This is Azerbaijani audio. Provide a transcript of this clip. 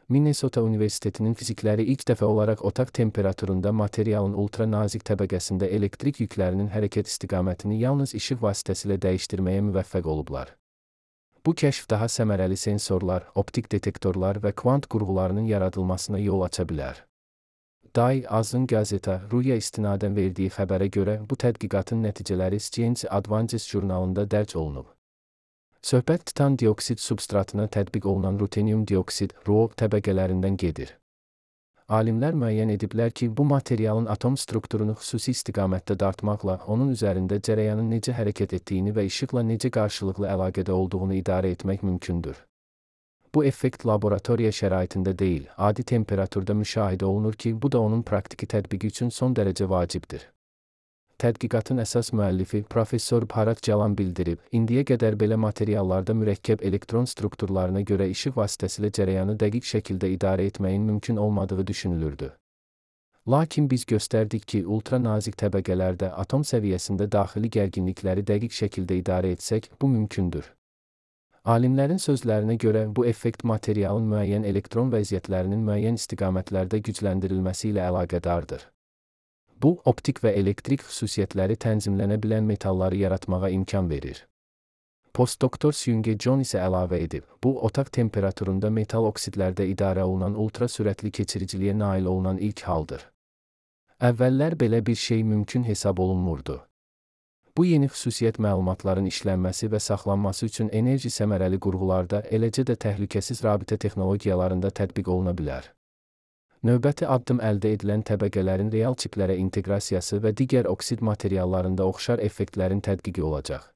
Minnesota Universitetinin fizikləri ilk dəfə olaraq otaq temperaturunda materialın ultra nazik təbəqəsində elektrik yüklərinin hərəkət istiqamətini yalnız işıq vasitəsilə dəyişdirməyə müvəffəq olublar. Bu kəşf daha səmərəli sensorlar, optik detektorlar və kvant qurğularının yaradılmasına yol aça bilər. Day Azın Gazeta Ruya istinadən verdiyi xəbərə görə bu tədqiqatın nəticələri Science Advances jurnalında dərc olunub. Söhbət titan dioksid substratına tətbiq olunan rutenium dioksid (RuO) təbəqələrindən gedir. Alimlər müəyyən ediblər ki, bu materialın atom strukturunu xüsusi istiqamətdə dartmaqla onun üzərində cərəyanın necə hərəkət etdiyini və işıqla necə qarşılıqlı əlaqədə olduğunu idarə etmək mümkündür. Bu effekt laboratoriya şəraitində deyil, adi temperaturda müşahidə olunur ki, bu da onun praktiki tətbiqi üçün son dərəcə vacibdir. Tədqiqatın əsas müəllifi Professor Bharat Jalan bildirib, indiyə qədər belə materiallarda mürəkkəb elektron strukturlarına görə işıq vasitəsilə cərəyanı dəqiq şəkildə idarə etməyin mümkün olmadığı düşünülürdü. Lakin biz göstərdik ki, ultra nazik təbəqələrdə atom səviyyəsində daxili gərginlikləri dəqiq şəkildə idarə etsək, bu mümkündür. Alimlərin sözlərinə görə bu effekt materialın müəyyən elektron vəziyyətlərinin müəyyən istiqamətlərdə gücləndirilməsi ilə əlaqədardır. Bu, optik və elektrik xüsusiyyətləri tənzimlənə bilən metalları yaratmağa imkan verir. Postdoktor Seung-Jae John isə əlavə edib, bu, otaq temperaturunda metal oksidlərdə idarə olunan ultra sürətli keçiriciliyə nail olunan ilk haldır. Əvvəllər belə bir şey mümkün hesab olunmurdu. Bu yeni xüsusiyyət məlumatların işlənməsi və saxlanması üçün enerji səmərəli qurğularda, eləcə də təhlükəsiz rabitə texnologiyalarında tətbiq oluna bilər. Növbəti addım əldə edilən təbəqələrin real çiplərə inteqrasiyası və digər oksid materiallarında oxşar effektlərin tədqiqi olacaq.